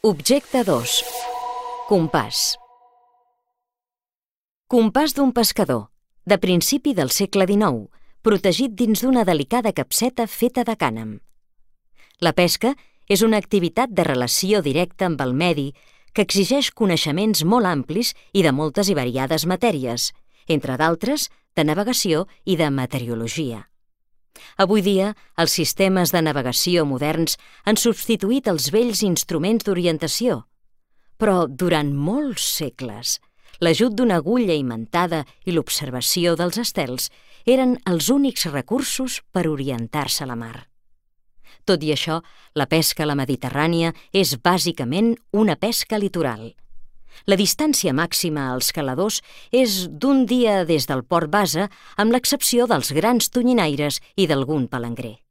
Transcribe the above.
Objecte 2. Compàs. Compàs d'un pescador, de principi del segle XIX, protegit dins d'una delicada capseta feta de cànem. La pesca és una activitat de relació directa amb el medi que exigeix coneixements molt amplis i de moltes i variades matèries, entre d'altres, de navegació i de meteorologia. Avui dia, els sistemes de navegació moderns han substituït els vells instruments d'orientació, però durant molts segles, l'ajut d'una agulla imantada i l'observació dels estels eren els únics recursos per orientar-se a la mar. Tot i això, la pesca a la Mediterrània és bàsicament una pesca litoral. La distància màxima als caladors és d'un dia des del port base, amb l'excepció dels grans tonyinaires i d'algun palangrer.